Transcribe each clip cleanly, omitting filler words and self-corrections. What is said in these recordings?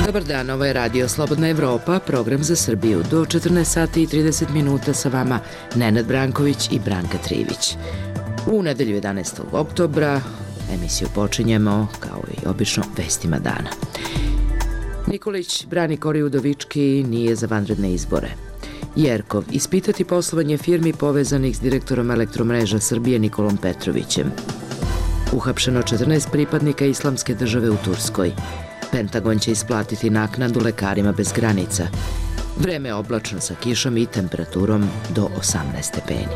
Dobar dan, ovo je Radio Slobodna Evropa, program za Srbiju. Do 14 sati i 30 minuta sa vama Nenad Branković i Branka Trivić. U nedelju 11. oktobra emisiju počinjemo, kao i obično, vestima dana. Nikolić brani Kori Udovički, nije za vanredne izbore. Jerkov, ispitati poslovanje firmi povezanih s direktorom Elektromreža Srbije Nikolom Petrovićem. Uhapšeno 14 pripadnika Islamske države u Turskoj. Pentagon će isplatiti naknadu lekarima bez granica. Vreme je oblačno sa kišom i temperaturom do 18 stepeni.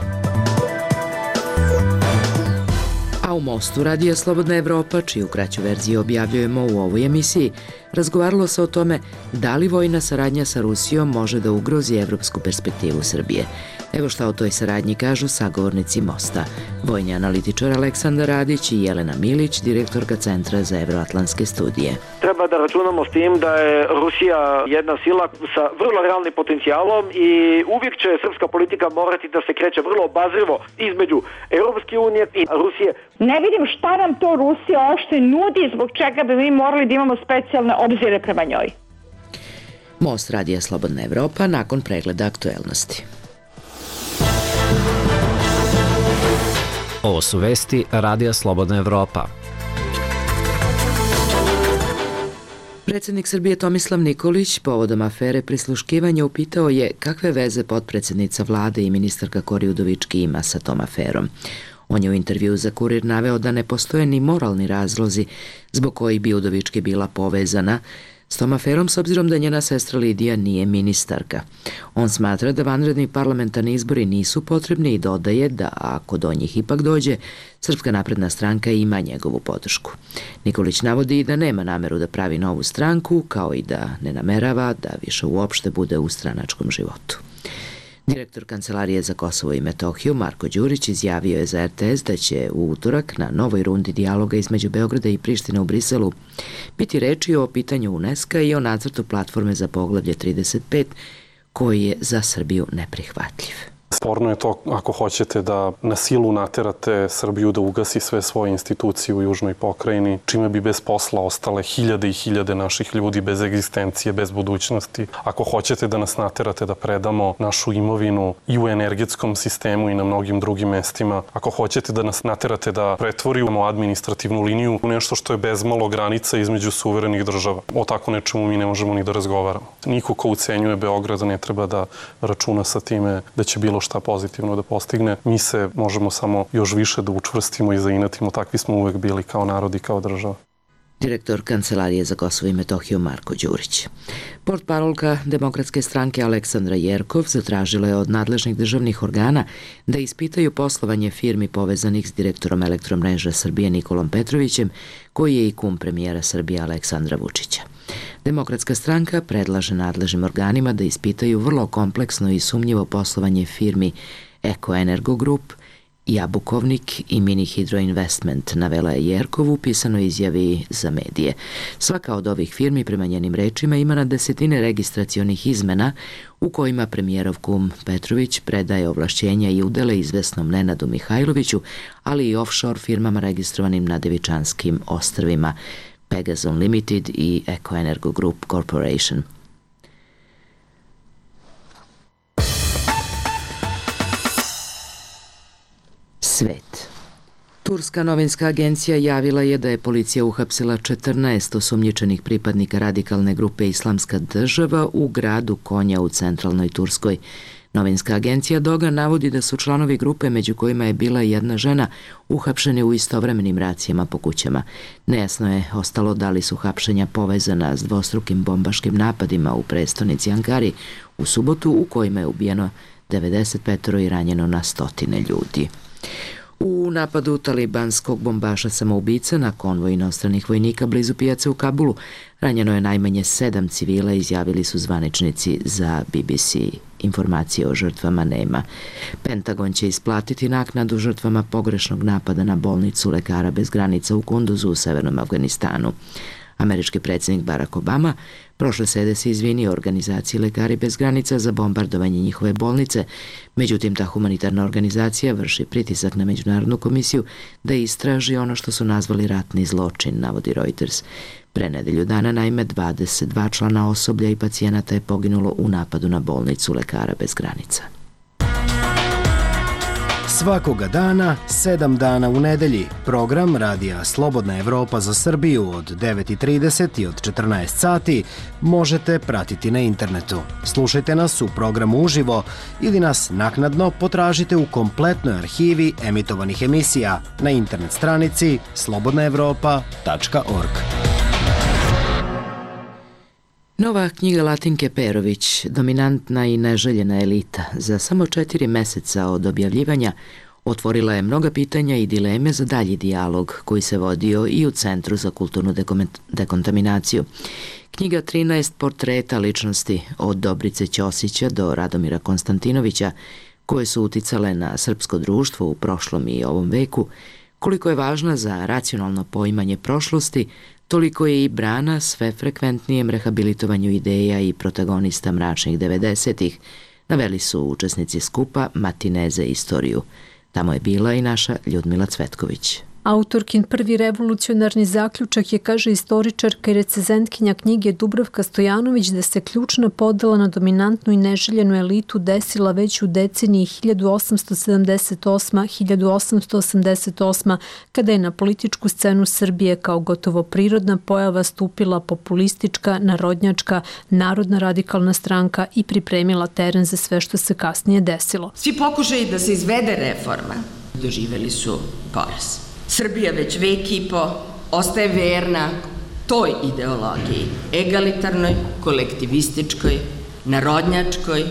A u Mostu Radija Slobodna Evropa, čiju kraću verziju objavljujemo u ovoj emisiji, razgovaralo se o tome da li vojna saradnja sa Rusijom može da ugrozi evropsku perspektivu Srbije. Evo šta o toj saradnji kažu sagovornici Mosta. Vojni analitičar Aleksandar Radić i Jelena Milić, direktorka Centra za evroatlantske studije. Treba da računamo s tim da je Rusija jedna sila sa vrlo realnim potencijalom i uvijek će srpska politika morati da se kreće vrlo obazrivo između Europske unije i Rusije. Ne vidim šta nam to Rusija uopšte nudi, zbog čega bi mi morali da imamo specijalne obzire prema njoj. Most Radija Slobodna Evropa nakon pregleda aktuelnosti. Ovo su vesti Radija Slobodna Evropa. Predsjednik Srbije Tomislav Nikolić povodom afere prisluškivanja upitao je kakve veze potpredsjednica vlade i ministarka Kori Udovički ima sa tom aferom. On je u intervjuu za Kurir naveo da ne postoje ni moralni razlozi zbog kojih bi Udovički bila povezana s tom aferom, s obzirom da njena sestra Lidija nije ministarka. On smatra da vanredni parlamentarni izbori nisu potrebni i dodaje da ako do njih ipak dođe, Srpska napredna stranka ima njegovu podršku. Nikolić navodi i da nema nameru da pravi novu stranku, kao i da ne namerava da više uopšte bude u stranačkom životu. Direktor Kancelarije za Kosovo i Metohiju Marko Đurić izjavio je za RTS da će u utorak na novoj rundi dijaloga između Beograda i Prištine u Briselu biti reči o pitanju UNESCO i o nacrtu platforme za poglavlje 35 koji je za Srbiju neprihvatljiv. Sporno je to ako hoćete da na silu naterate Srbiju da ugasi sve svoje institucije u južnoj pokrajini, čime bi bez posla ostale hiljade i hiljade naših ljudi bez egzistencije, bez budućnosti. Ako hoćete da nas naterate da predamo našu imovinu i u energetskom sistemu i na mnogim drugim mestima, ako hoćete da nas naterate da pretvorimo administrativnu liniju u nešto što je bezmalo granica između suverenih država. O tako nečemu mi ne možemo ni da razgovaramo. Niko ko ucenjuje Beograd ne treba da računa sa time da će bilo šta pozitivno da postigne. Mi se možemo samo još više da učvrstimo i zainatimo. Takvi smo uvek bili kao narod i kao država. Direktor Kancelarije za Kosovo i Metohiju Marko Đurić. Portparolka Demokratske stranke Aleksandra Jerkov zatražila je od nadležnih državnih organa da ispitaju poslovanje firmi povezanih s direktorom Elektromreža Srbije Nikolom Petrovićem, koji je i kum premijera Srbije Aleksandra Vučića. Demokratska stranka predlaže nadležnim organima da ispitaju vrlo kompleksno i sumnjivo poslovanje firmi Eko Energo Group, Jabukovnik i Mini Hydro Investment, navela je Jerkov u pisanoj izjavi za medije. Svaka od ovih firmi, prema njenim rečima, ima na desetine registracionih izmena u kojima premijerov kum Petrović predaje ovlašćenja i udele izvesnom Nenadu Mihajloviću, ali i offshore firmama registrovanim na Devičanskim ostrvima, Pegason Limited i Eko Energo Group Corporation. Svet. Turska novinska agencija javila je da je policija uhapsila 14 osumnjičenih pripadnika radikalne grupe Islamska država u gradu Konja u centralnoj Turskoj. Novinska agencija Doga navodi da su članovi grupe, među kojima je bila jedna žena, uhapšeni u istovremenim racijama po kućama. Nejasno je ostalo da li su hapšenja povezana s dvostrukim bombaškim napadima u prestonici Ankari u subotu, u kojima je ubijeno 95 i ranjeno na stotine ljudi. U napadu talibanskog bombaša samoubica na konvoj inostranih vojnika blizu pijace u Kabulu ranjeno je najmanje 7 civila, izjavili su zvaničnici za BBC. Informacije o žrtvama nema. Pentagon će isplatiti naknadu žrtvama pogrešnog napada na bolnicu Lekara bez granica u Kunduzu u severnom Afganistanu. Američki predsjednik Barack Obama prošle srede se izvinio organizaciji Lekari bez granica za bombardovanje njihove bolnice, međutim ta humanitarna organizacija vrši pritisak na Međunarodnu komisiju da istraži ono što su nazvali ratni zločin, navodi Reuters. Pre nedelju dana, naime, 22 člana osoblja i pacijenata je poginulo u napadu na bolnicu Lekara bez granica. Svakoga dana, 7 dana u nedelji, program Radija Slobodna Evropa za Srbiju od 9:30 i od 14 sati možete pratiti na internetu. Slušajte nas u programu uživo ili nas naknadno potražite u kompletnoj arhivi emitovanih emisija na internet stranici slobodnaevropa.org. Nova knjiga Latinke Perović, Dominantna i neželjena elita, za samo 4 meseca od objavljivanja otvorila je mnoga pitanja i dileme za dalji dijalog koji se vodio i u Centru za kulturnu dekontaminaciju. Knjiga 13 portreta ličnosti od Dobrice Ćosića do Radomira Konstantinovića, koje su uticale na srpsko društvo u prošlom i ovom veku, koliko je važna za racionalno poimanje prošlosti, toliko je i brana sve frekventnijem rehabilitovanju ideja i protagonista mračnih 90-ih, naveli su učesnici skupa Matineze istoriju. Tamo je bila i naša Ljudmila Cvetković. Autorkin prvi revolucionarni zaključak je, kaže istoričarka i recenzentkinja knjige Dubravka Stojanović, da se ključna podela na dominantnu i neželjenu elitu desila već u deceniji 1878-1888, kada je na političku scenu Srbije kao gotovo prirodna pojava stupila populistička, narodnjačka, narodna radikalna stranka i pripremila teren za sve što se kasnije desilo. Svi pokušaji da se izvede reforma doživeli su poraz. Srbija već vek i po ostaje verna toj ideologiji, egalitarnoj, kolektivističkoj, narodnjačkoj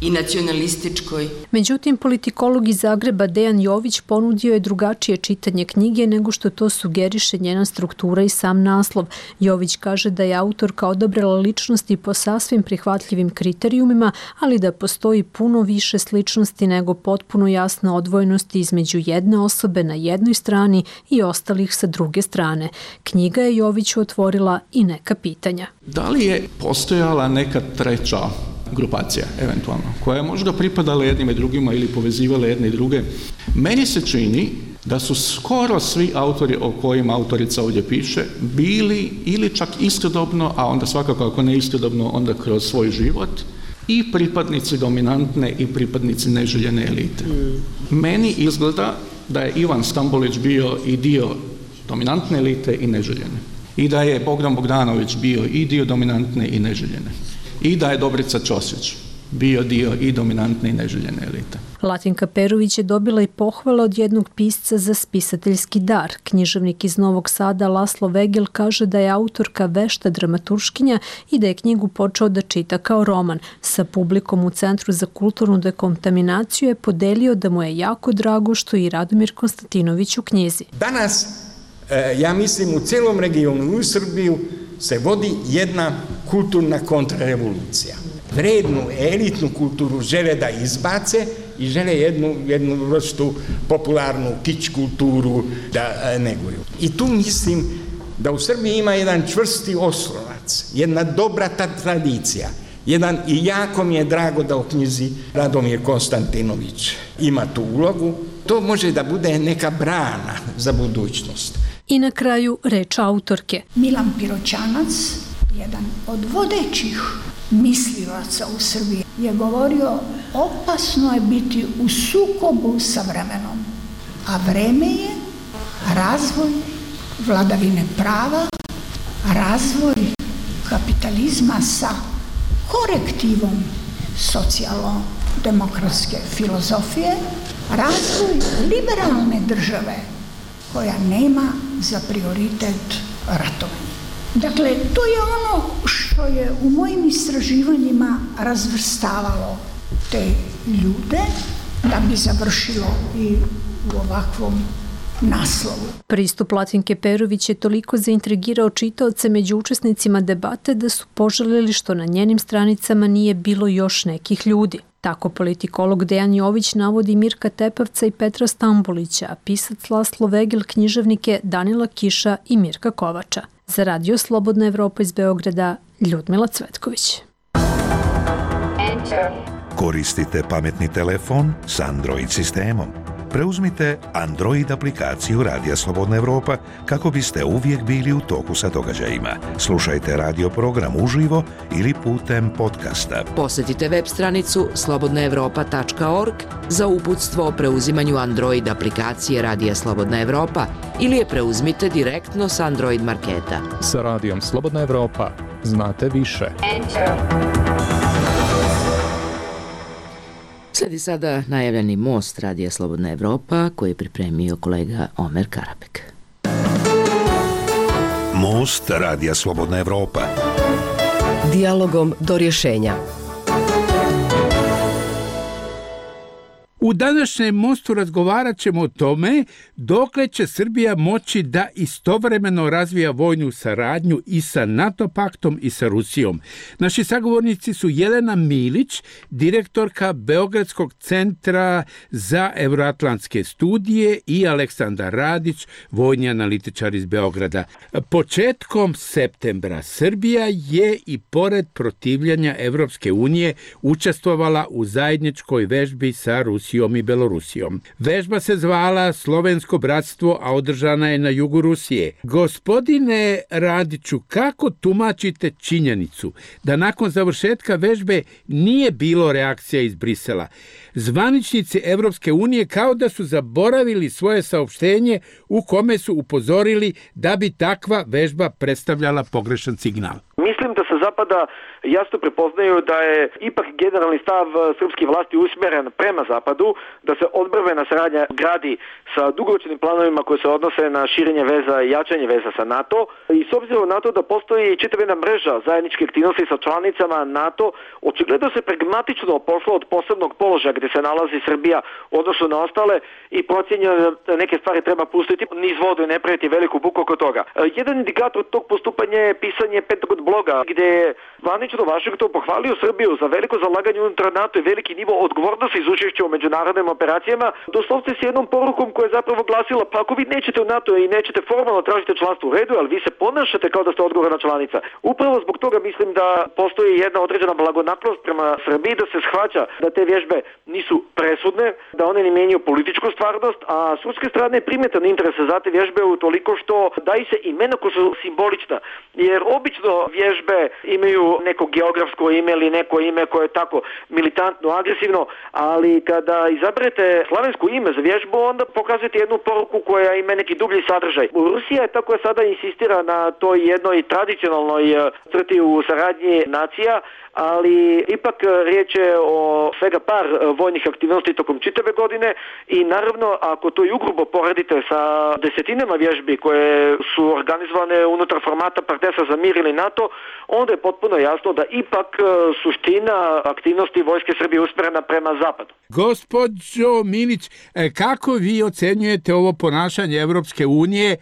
i nacionalističkoj. Međutim, politikolog iz Zagreba Dejan Jović ponudio je drugačije čitanje knjige nego što to sugeriše njena struktura i sam naslov. Jović kaže da je autorka odabrala ličnosti po sasvim prihvatljivim kriterijumima, ali da postoji puno više sličnosti nego potpuno jasna odvojenost između jedne osobe na jednoj strani i ostalih sa druge strane. Knjiga je Joviću otvorila i neka pitanja. Da li je postojala neka treća grupacija, eventualno, koja je možda pripadala jednima i drugima ili povezivala jedne i druge? Meni se čini da su skoro svi autori o kojima autorica ovdje piše bili ili čak istodobno, a onda svakako ako ne istodobno, onda kroz svoj život, i pripadnici dominantne i pripadnici neželjene elite. Meni izgleda da je Ivan Stambolić bio i dio dominantne elite i neželjene. I da je Bogdan Bogdanović bio i dio dominantne i neželjene. I da je Dobrica Ćosić bio dio i dominantne i neželjene elite. Latinka Perović je dobila i pohvale od jednog pisca za spisateljski dar. Književnik iz Novog Sada Laslo Vegel kaže da je autorka vešta dramaturškinja i da je knjigu počeo da čita kao roman. Sa publikom u Centru za kulturnu dekontaminaciju je podelio da mu je jako drago što je i Radomir Konstantinović u knjizi. Danas, ja mislim, u celom regionu u Srbiju se vodi jedna kulturna kontrarevolucija. Vrednu, elitnu kulturu žele da izbace i žele jednu vrstu popularnu kič kulturu da neguju. I tu mislim da u Srbiji ima jedan čvrsti oslonac, jedna dobra tradicija. I jako mi je drago da u knjizi Radomir Konstantinović ima tu ulogu. To može da bude neka brana za budućnost. I na kraju reč autorke. Milan Piroćanac, jedan od vodećih mislilaca u Srbiji, je govorio opasno je biti u sukobu sa vremenom, a vreme je razvoj vladavine prava, razvoj kapitalizma sa korektivom socijalno-demokratske filozofije, razvoj liberalne države koja nema za prioritet ratovanje. Dakle, to je ono što je u mojim istraživanjima razvrstavalo te ljude da bi završilo i u ovakvom naslovu. Pristup Latinke Perović je toliko zaintrigirao čitaoce među učesnicima debate da su poželeli što na njenim stranicama nije bilo još nekih ljudi. Tako politikolog Dejan Jović navodi Mirka Tepavca i Petra Stambolića, a pisac Laslo Vegel književnike Danila Kiša i Mirka Kovača. Za Radio Slobodna Evropa iz Beograda, Ljudmila Cvetković. Koristite pametni telefon s Android sistemom. Preuzmite Android aplikaciju Radija Slobodna Evropa kako biste uvijek bili u toku sa događajima. Slušajte radio program uživo ili putem podcasta. Posjetite web stranicu slobodnaevropa.org za uputstvo o preuzimanju Android aplikacije Radija Slobodna Evropa ili je preuzmite direktno s Android marketa. Sa Radijom Slobodna Evropa znate više. Slijedi sada najavljeni most Radija Slobodna Evropa koji je pripremio kolega Omer Karabek. Most Radija Slobodna Evropa. Dijalogom do rješenja. U današnjem mostu razgovarat ćemo o tome dokle će Srbija moći da istovremeno razvija vojnu saradnju i sa NATO paktom i sa Rusijom. Naši sagovornici su Jelena Milić, direktorka Beogradskog centra za euroatlantske studije i Aleksandar Radić, vojni analitičar iz Beograda. Početkom septembra Srbija je i pored protivljanja Evropske unije učestvovala u zajedničkoj vežbi sa Rusijom i Belorusijom. Vežba se zvala Slovensko bratstvo, a održana je na jugu Rusije. Gospodine Radiću, kako tumačite činjenicu da nakon završetka vežbe nije bilo reakcija iz Brisela? Zvaničnici Evropske unije kao da su zaboravili svoje saopštenje u kome su upozorili da bi takva vežba predstavljala pogrešan signal. Mislim da se Zapada jasno prepoznaju da je ipak generalni stav srpskih vlasti usmjeren prema Zapadu, da se odbrambena saradnja gradi sa dugoročnim planovima koji se odnose na širenje veza i jačanje veza sa NATO. I s obzirom na to da postoji čitava jedna mreža zajedničke aktivnosti sa članicama NATO, očigledno se pragmatično pošlo od posebnog položaja gdje se nalazi Srbija u odnosu na ostale i procjenjeno da neke stvari treba pustiti niz vodu i ne praviti veliku buku oko toga. Jedan indikator tog postupanja je pisanje Pentagon bloga, gdje je zvanično Vašington pohvalio Srbiju za veliko zalaganje unutar NATO i veliki nivo odgovornosti iz učešća u međunarodnim operacijama, doslovce s jednom porukom koja je zapravo glasila: pa ako vi nećete u NATO i nećete formalno tražiti članstvo u redu, ali vi se ponašate kao da ste odgovorna članica. Upravo zbog toga mislim da postoji jedna određena blagonaklonost prema Srbiji, da se shvaća da te vježbe nisu presudne, da one ne mijenjaju političku stvarnost, a s ruske strane je primjetan interes za te vježbe utoliko što daju se imena koja su simbolična, jer obično vježbe imaju neko geografsko ime ili neko ime koje je tako militantno, agresivno, ali kada izaberete slavensko ime za vježbu, onda pokazujete jednu poruku koja ima neki dublji sadržaj. Rusija je tako sada insistira na toj jednoj tradicionalnoj crti u saradnji nacija, ali ipak riječ je o svega par vojnih aktivnosti tokom čitave godine i naravno ako to i ugrubo poredite sa desetinama vježbi koje su organizovane unutar formata Partnerstva za mir ili NATO, onda je potpuno jasno da ipak suština aktivnosti vojske Srbije usmjerena prema zapadu. Gospođo Milić, kako vi ocenjujete ovo ponašanje Evropske unije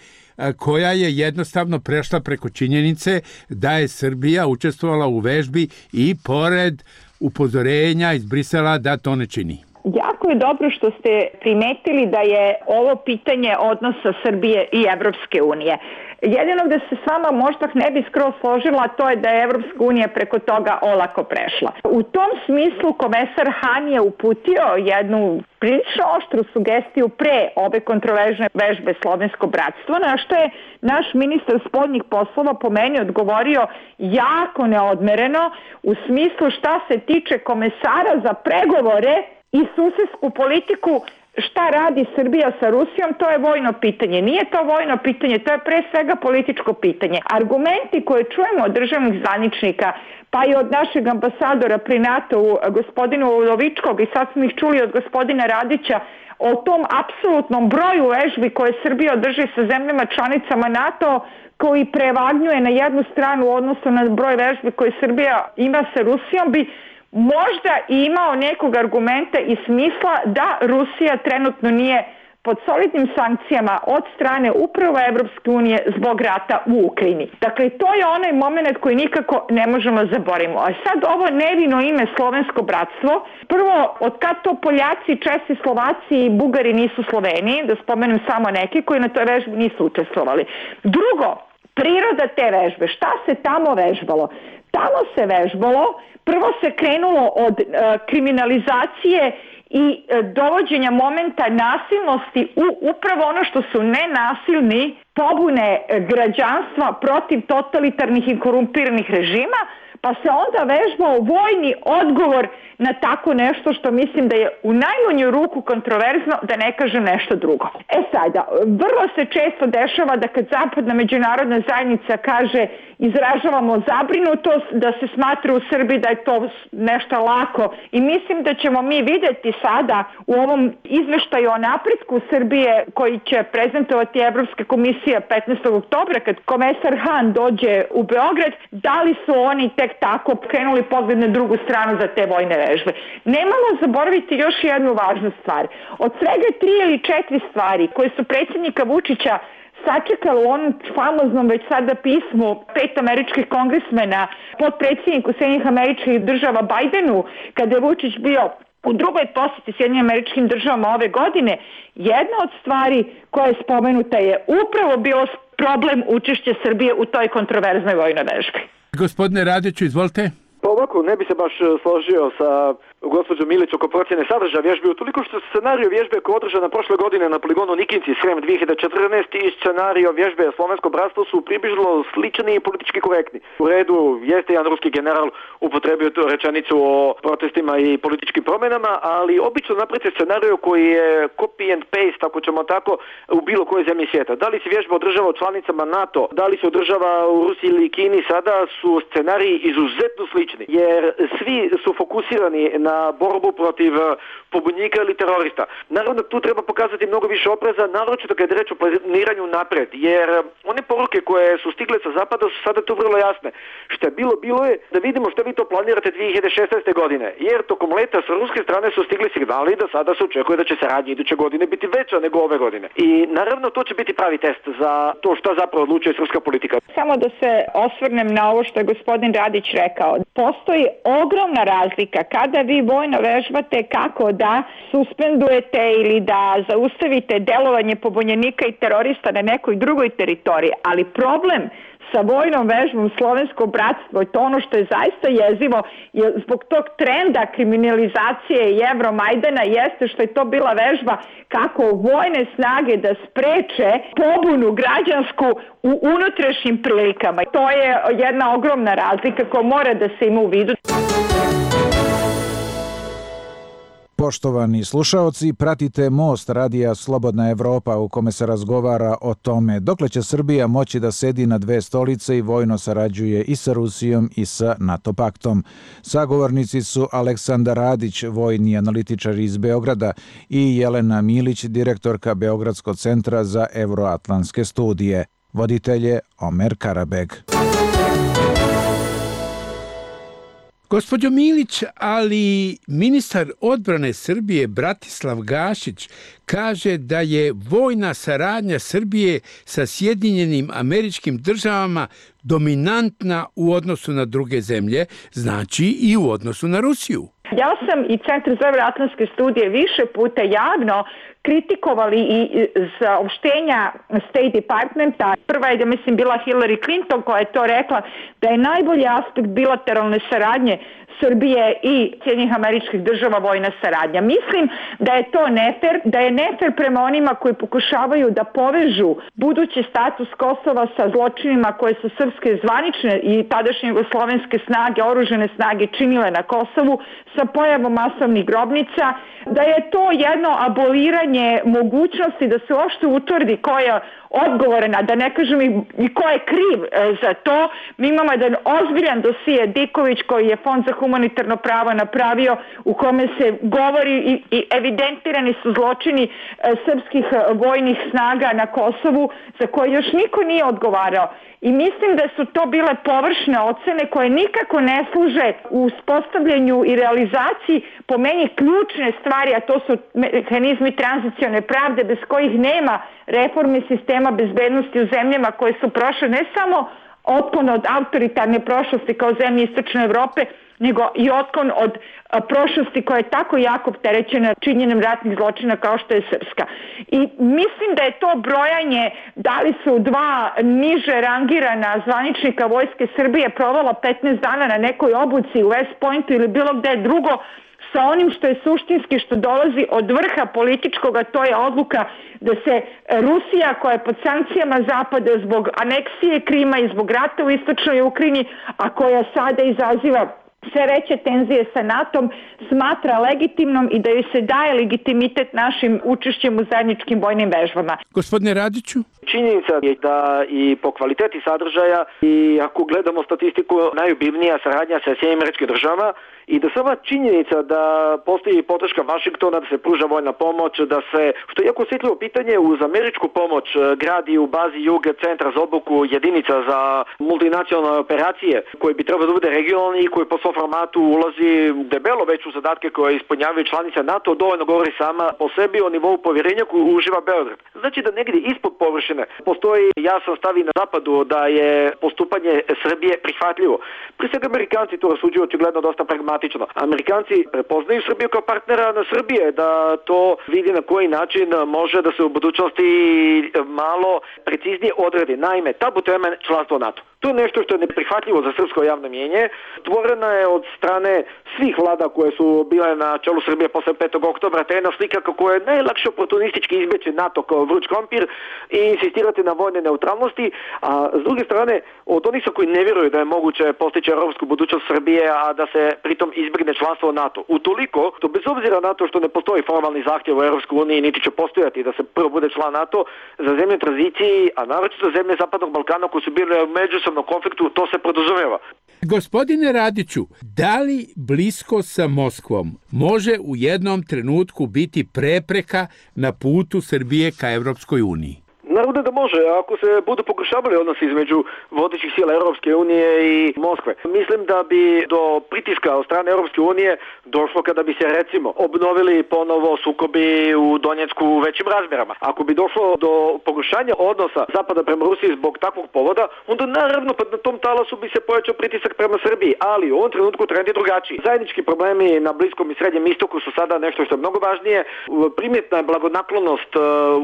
koja je jednostavno prešla preko činjenice da je Srbija učestvovala u vežbi i pored upozorenja iz Brisela da to ne čini? Jako je dobro što ste primetili da je ovo pitanje odnosa Srbije i Evropske unije. Jedino da se s vama možda ne bi skroz složila, to je da je Evropska unija preko toga olako prešla. U tom smislu komesar Han je uputio jednu prilično oštru sugestiju pre ove kontroverzne vežbe Slovensko bratstvo, na što je naš ministar spoljnih poslova po meni odgovorio jako neodmereno u smislu šta se tiče komesara za pregovore i susedsku politiku. Šta radi Srbija sa Rusijom, to je vojno pitanje. Nije to vojno pitanje, to je pre svega političko pitanje. Argumenti koje čujemo od državnih zvaničnika, pa i od našeg ambasadora pri NATO-u, gospodinu Udovičkog, i sad smo ih čuli od gospodina Radića, o tom apsolutnom broju vežbi koje Srbija održi sa zemljama članicama NATO, koji prevagnjuje na jednu stranu u odnosu na broj vežbi koje Srbija ima sa Rusijom, bi možda imao nekog argumenta i smisla da Rusija trenutno nije pod solidnim sankcijama od strane upravo Evropske unije zbog rata u Ukrajini. Dakle, to je onaj moment koji nikako ne možemo zaboraviti. A sad ovo nevino ime Slovensko bratstvo, prvo, od kad to Poljaci, Česi, Slovaci i Bugari nisu Sloveniji, da spomenem samo neki koji na toj vežbi nisu učestvovali. Drugo, priroda te vežbe, šta se tamo vežbalo? Tamo se vežbalo, prvo se krenulo od kriminalizacije i dovođenja momenta nasilnosti u upravo ono što su nenasilni pobune građanstva protiv totalitarnih i korumpiranih režima, pa se onda vežbao vojni odgovor na tako nešto što mislim da je u najmanju ruku kontroverzno, da ne kažem nešto drugo. Sada, vrlo se često dešava da kad zapadna međunarodna zajednica kaže izražavamo zabrinutost, da se smatra u Srbiji da je to nešto lako i mislim da ćemo mi videti sada u ovom izveštaju o napretku Srbije koji će prezentovati Evropska komisija 15. oktobra kad komesar Han dođe u Beograd, da li su oni tek tako krenuli pogled na drugu stranu za te vojne vežbe. Nemamo zaboraviti još jednu važnu stvar. Od svega 3 ili 4 stvari koje su predsjednika Vučića sačekalo u onom famoznom već sada pismu 5 američkih kongresmena potpredsjedniku Sjedinjenih Američkih Država Bajdenu, kada je Vučić bio u drugoj posjeti Sjedinjenim Američkim Državama ove godine, jedna od stvari koja je spomenuta je upravo bio problem učešća Srbije u toj kontroverznoj vojnoj vežbi. Gospodine Radiću, izvolite. Pa ovako, ne bi se baš složio sa gospođom Milić oko procjene sadržaja vježbe, utoliko što scenario vježbe koja je održana prošle godine na poligonu Nikinci Srem 2014 i scenario vježbe Slovensko bratstvo su približno slični i politički korektni. U redu jeste jedan ruski general upotrebio tu rečenicu o protestima i političkim promjenama, ali obično napravite scenario koji je copy and paste, ako ćemo tako, u bilo kojoj zemlji svijeta. Da li se vježba održava u članicama NATO, da li se održava u Rusiji ili Kini, sada su scenariji izuzetno slični, jer svi su fokusirani na borbu protiv pobunjenika ili terorista. Naravno, tu treba pokazati mnogo više opreza, naročito kad je reč o planiranju napred, jer one poruke koje su stigle sa zapada su sada tu vrlo jasne. Što je bilo je da vidimo što vi to planirate 2016. godine, jer tokom leta sa ruske strane su stigli signali da sada se očekuje da će saradnja iduće godine biti veća nego ove godine. I naravno, to će biti pravi test za to šta zapravo odlučuje srpska politika. Samo da se osvrnem na ovo što je gospodin Radić rekao. Postoji ogromna razlika kada vi vojno vežbate kako da suspendujete ili da zaustavite delovanje pobunjenika i terorista na nekoj drugoj teritoriji, ali problem sa vojnom vežbom Slovensko bratstvo i to ono što je zaista jezivo je zbog tog trenda kriminalizacije i Evromajdana jeste što je to bila vežba kako vojne snage da spreče pobunu građansku u unutrašnjim prilikama. To je jedna ogromna razlika koja mora da se ima u vidu. Poštovani slušaoci, pratite Most radija Slobodna Evropa u kome se razgovara o tome dokle će Srbija moći da sedi na 2 stolice i vojno sarađuje i sa Rusijom i sa NATO paktom. Sagovornici su Aleksandar Radić, vojni analitičar iz Beograda i Jelena Milić, direktorka Beogradskog centra za evroatlantske studije. Voditelj je Omer Karabeg. Gospođo Milić, ali ministar odbrane Srbije Bratislav Gašić kaže da je vojna saradnja Srbije sa Sjedinjenim Američkim Državama dominantna u odnosu na druge zemlje, znači i u odnosu na Rusiju. Ja sam i Centar za evroatlantske studije više puta javno kritikovali i saopštenja State Departmenta. Prva je, mislim, bila Hillary Clinton koja je to rekla da je najbolji aspekt bilateralne saradnje Srbije i Sjedinjenih Američkih Država vojna saradnja. Mislim da je to nefer, da je nefer prema onima koji pokušavaju da povežu budući status Kosova sa zločinima koje su srpske zvanične i tadašnje jugoslovenske snage, oružane snage činile na Kosovu sa pojavom masovnih grobnica, da je to jedno aboliranje mogućnosti da se uopšte utvrdi ko je odgovorena, da ne kažem i ko je kriv za to. Mi imamo jedan ozbiljan dosije Diković koji je Fond za humanitarno pravo napravio u kome se govori i evidentirani su zločini srpskih vojnih snaga na Kosovu za koje još niko nije odgovarao. I mislim da su to bile površne ocene koje nikako ne služe u uspostavljanju i realizaciji po meni ključne stvari, a to su mehanizmi tranzicione pravde bez kojih nema reforme sistema bezbednosti u zemljama koje su prošle ne samo otklon od autoritarne prošlosti kao zemlje Istočne Evrope, nego i otklon od prošlosti koja je tako jako opterećena činjenjem ratnih zločina kao što je srpska. I mislim da je to brojanje da li su 2 niže rangirana zvaničnika Vojske Srbije provela 15 dana na nekoj obuci u West Pointu ili bilo gde drugo sa onim što je suštinski, što dolazi od vrha političkoga, to je odluka da se Rusija, koja je pod sankcijama Zapada zbog aneksije Krima i zbog rata u istočnoj Ukrajini, a koja sada izaziva sve veće tenzije sa NATO-om, smatra legitimnom i da joj se daje legitimitet našim učešćem u zajedničkim vojnim vežbama. Gospodine Radiću? Činjenica je da i po kvaliteti sadržaja i ako gledamo statistiku najobilnija saradnja sa Sjedinjenim Američkim Državama i da sama činjenica da postoji podrška Vašingtona, da se pruža vojna pomoć, da se, što je jako osjetljivo pitanje, uz američku pomoć gradi u bazi Jug centra za obuku jedinica za multinacionalne operacije koji bi trebalo da bude regionalni i koji po svom formatu ulazi debelo već u zadatke koje ispunjavaju članice NATO, dovoljno govori sama po sebi o nivou povjerenja koju uživa Beograd. Znači da negdje ispod površine postoji jasan stav i na zapadu da je postupanje Srbije prihvatljivo. Prije svega Amerikanci to rasuđuju očigledno dosta pragmatično. Amerikanci prepoznaju Srbiju kao partnera na Srbije, da to vidi na koji način može da se u budućnosti malo preciznije odredi. Naime, tabu tema je članstvo NATO. To je nešto što je neprihvatljivo za srpsko javno mjenje. Stvorena je od strane svih vlada koje su bile na čelu Srbije posle 5. oktobra, te jedna slika kako je najlakše oportunistički izbeći NATO kao vruć krompir i insistirati na vojne neutralnosti, a s druge strane od onih koji ne vjeruju da je moguće postići europsku budućnost Srbije, a da se pritom izbjegne članstvo u NATO. Utoliko, to bez obzira na to što ne postoji formalni zahtjev u Europskoj uniji, niti će postojati da se prvo bude član NATO, za zemlje tranziciji, a naročito za zemlje Zapadnog Balkana koji su bile u međusobnom konfliktu, to se podrazumijeva. Gospodine Radiću, da li blisko sa Moskvom može u jednom trenutku biti prepreka na putu Srbije ka Evropskoj uniji? Naravno da može, ako se budu pogoršavali odnosi između vodećih sila Europske unije i Moskve. Mislim da bi do pritiska od strane Europske unije došlo kada bi se recimo obnovili ponovo sukobi u Donjecku u većim razmjerama. Ako bi došlo do pogoršanja odnosa Zapada prema Rusiji zbog takvog povoda, onda naravno na tom talasu bi se pojačao pritisak prema Srbiji, ali u ovom trenutku trend je drugačiji. Zajednički problemi na Bliskom i Srednjem istoku su sada nešto što je mnogo važnije. Primjetna je blagonaklonost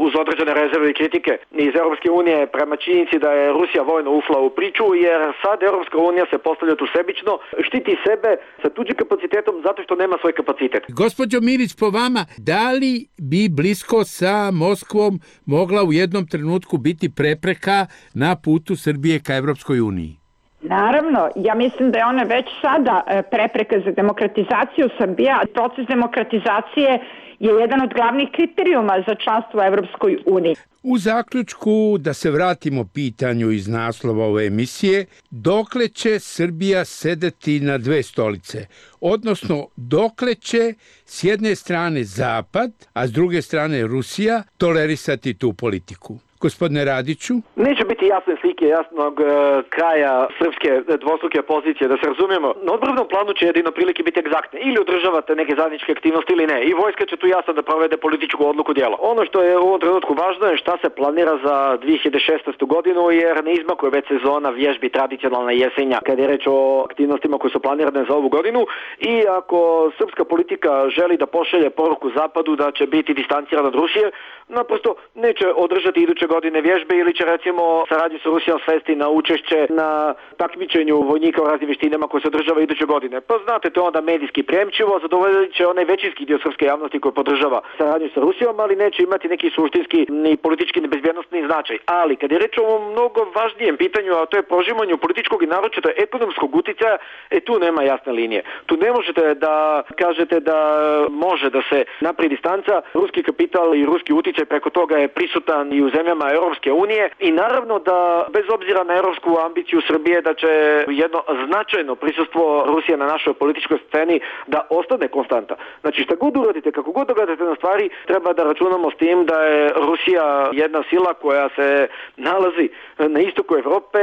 uz određene rezerve i kritike iz Europske unije prema činjenici da je Rusija vojno ufla u priču, jer sad Europska unija se postavlja tu sebično, štiti sebe sa tuđim kapacitetom zato što nema svoj kapacitet. Gospođo Milić, po vama, da li bi blisko sa Moskvom mogla u jednom trenutku biti prepreka na putu Srbije ka Evropskoj uniji? Naravno, ja mislim da je ona već sada prepreka za demokratizaciju Srbije, a proces demokratizacije je jedan od glavnih kriterijuma za članstvo u Evropskoj uniji. U zaključku, da se vratimo pitanju iz naslova ove emisije, dokle će Srbija sedeti na dve stolice? Odnosno, dokle će s jedne strane Zapad, a s druge strane Rusija tolerisati tu politiku? Gospodine Radiću? Neće biti jasne slike jasnog kraja srpske dvostruke pozicije, da se razumijemo. Na odbrambnom planu će jedino prilike biti egzaktne. Ili održavate neke zajedničke aktivnosti ili ne. I vojska će tu jasno da provede političku odluku djela. Ono što je u ovom trenutku važno je šta se planira za 2016. godinu, jer ne izmakuje već sezona vježbi tradicionalna jesenja kad je reč o aktivnostima koje su planirane za ovu godinu. I ako srpska politika želi da pošalje poruku Zapadu da će biti distancirana od Rusije, naprosto neće održati iduće godine vježbe ili će recimo saradnju sa Rusijom svesti na učešće na takmičenju vojnika u raznim vještinama koje se održava iduće godine. Pa znate, to je onda medijski prijemčivo, zadovoljit će onaj većinski dio srpske javnosti koji podržava saradnju sa Rusijom, ali neće imati neki suštinski ni politički ni bezbjednostni značaj. Ali kad je reč o ovom mnogo važnijem pitanju, a to je prožimanju političkog i naročito ekonomskog uticaja, tu nema jasne linije. Tu ne možete da kažete da može da se napravi distanca. Ruski kapital i ruski uticaj preko toga je prisutan i u zemljama Europske unije i naravno da bez obzira na europsku ambiciju Srbije da će jedno značajno prisustvo Rusije na našoj političkoj sceni da ostane konstanta. Znači šta god uradite, kako god dogledate na stvari, treba da računamo s tim da je Rusija jedna sila koja se nalazi na istoku Evrope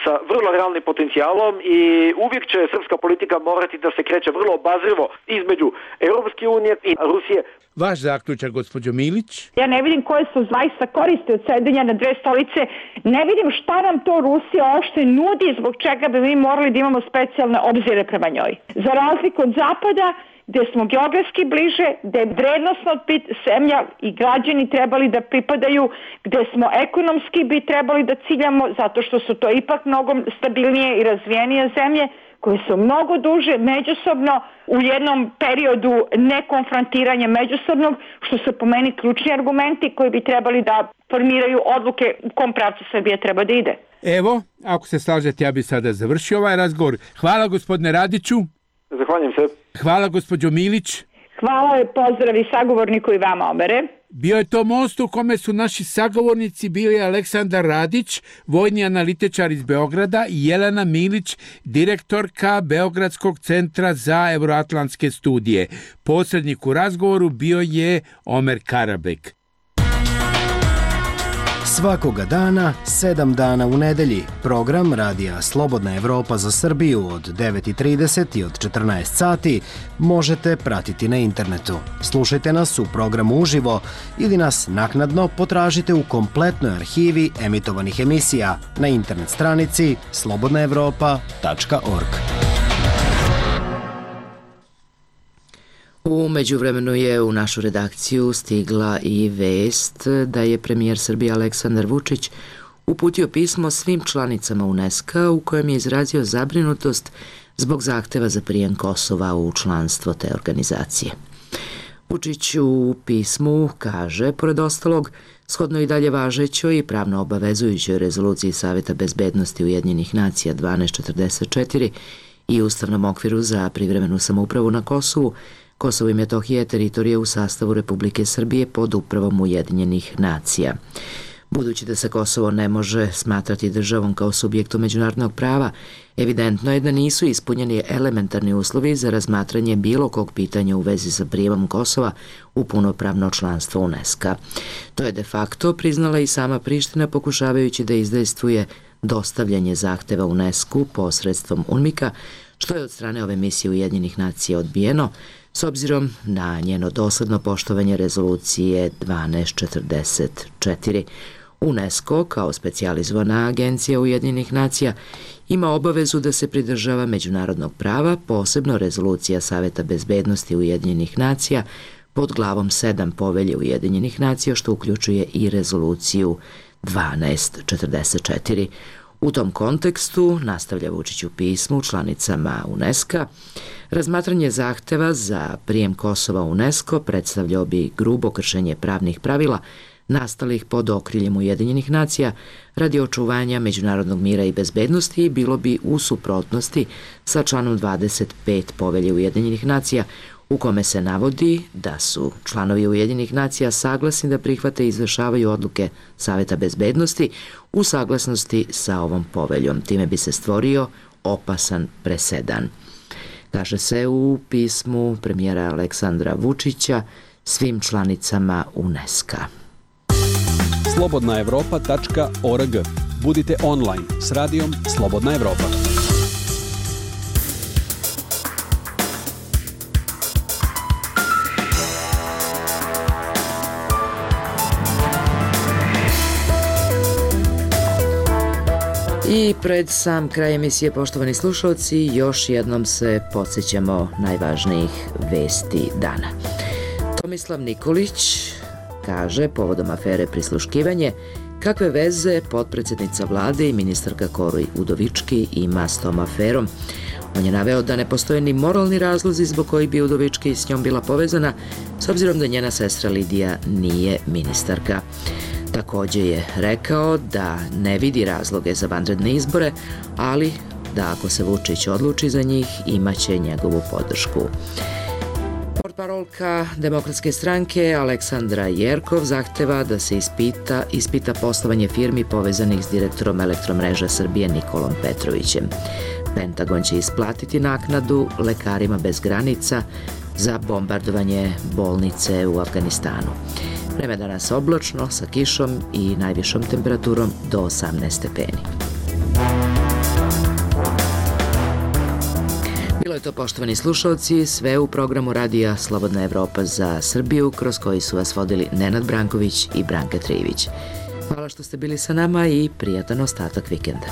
sa vrlo realnim potencijalom i uvijek će srpska politika morati da se kreće vrlo obazrivo između Europske unije i Rusije. Vaš zaključak, gospođo Milić? Ja ne vidim koje su zaista koristi od sedenja na dve stolice. Ne vidim šta nam to Rusija uopšte nudi, zbog čega bi mi morali da imamo specijalne obzire prema njoj. Za razliku od Zapada, gde smo geografski bliže, gde je vrednosno zemlja i građani trebali da pripadaju, gde smo ekonomski bi trebali da ciljamo, zato što su to ipak mnogo stabilnije i razvijenije zemlje, koje su mnogo duže međusobno u jednom periodu nekonfrontiranja međusobnog, što su po meni ključni argumenti koji bi trebali da formiraju odluke u kom pravcu Srbija treba da ide. Evo, ako se slažete, ja bih sada završio ovaj razgovor. Hvala gospodine Radiću. Zahvaljujem se. Hvala gospođo Milić. Hvala i pozdrav i sagovorniku i vama obere. Bio je to most u kome su naši sagovornici bili Aleksandar Radić, vojni analitičar iz Beograda, i Jelena Milić, direktorka Beogradskog centra za euroatlantske studije. Posrednik u razgovoru bio je Omer Karabek. Svakoga dana, 7 dana u nedelji, program Radija Slobodna Evropa za Srbiju od 9:30 i od 14 sati možete pratiti na internetu. Slušajte nas u programu uživo ili nas naknadno potražite u kompletnoj arhivi emitovanih emisija na internet stranici slobodnaevropa.org. U međuvremenu je u našu redakciju stigla i vest da je premijer Srbije Aleksandar Vučić uputio pismo svim članicama UNESCO u kojem je izrazio zabrinutost zbog zahteva za prijem Kosova u članstvo te organizacije. Vučić u pismu kaže, pored ostalog, shodno i dalje važećoj i pravno obavezujućoj rezoluciji Saveta bezbednosti Ujedinjenih nacija 1244 i ustavnom okviru za privremenu samoupravu na Kosovu, Kosovo i Metohija je teritorija u sastavu Republike Srbije pod upravom Ujedinjenih nacija. Budući da se Kosovo ne može smatrati državom kao subjektom međunarodnog prava, evidentno je da nisu ispunjeni elementarni uslovi za razmatranje bilo kog pitanja u vezi sa prijemom Kosova u punopravno članstvo UNESCO. To je de facto priznala i sama Priština, pokušavajući da izdejstvuje dostavljanje zahteva UNESCO posredstvom UNMIK-a, što je od strane ove misije Ujedinjenih nacija odbijeno, s obzirom na njeno dosledno poštovanje rezolucije 1244. UNESCO, kao specijalizovana agencija Ujedinjenih nacija, ima obavezu da se pridržava međunarodnog prava, posebno rezolucija Saveta bezbednosti Ujedinjenih nacija pod glavom 7 Povelje Ujedinjenih nacija, što uključuje i rezoluciju 1244. U tom kontekstu, nastavlja Vučić u pismu članicama UNESCO, razmatranje zahteva za prijem Kosova u UNESCO predstavljao bi grubo kršenje pravnih pravila nastalih pod okriljem Ujedinjenih nacija radi očuvanja međunarodnog mira i bezbednosti i bilo bi u suprotnosti sa članom 25 Povelje Ujedinjenih nacija, u kome se navodi da su članovi Ujedinjenih nacija saglasni da prihvate i izvršavaju odluke Saveta bezbednosti u saglasnosti sa ovom poveljom. Time bi se stvorio opasan presedan. Kaže se u pismu premijera Aleksandra Vučića svim članicama UNESCO-a. slobodnaevropa.org. Budite online s radijom Slobodna Evropa. I pred sam kraj emisije, poštovani slušalci, još jednom se podsjećamo najvažnijih vesti dana. Tomislav Nikolić kaže, povodom afere prisluškivanje, kakve veze potpredsednica vlade i ministarka Kori Udovički ima s tom aferom. On je naveo da ne postoje ni moralni razlozi zbog koji bi Udovički s njom bila povezana, s obzirom da njena sestra Lidija nije ministarka. Takođe je rekao da ne vidi razloge za vanredne izbore, ali da ako se Vučić odluči za njih, imaće njegovu podršku. Portparolka Demokratske stranke Aleksandra Jerkov zahteva da se ispita poslovanje firmi povezanih s direktorom Elektromreža Srbije Nikolom Petrovićem. Pentagon će isplatiti naknadu lekarima bez granica za bombardovanje bolnice u Afganistanu. Vreme danas oblačno, sa kišom i najvišom temperaturom do 18 stepeni. Bilo je to, poštovani slušalci, sve u programu Radija Slobodna Evropa za Srbiju, kroz koji su vas vodili Nenad Branković i Branka Trijević. Hvala što ste bili sa nama i prijatan ostatak vikenda.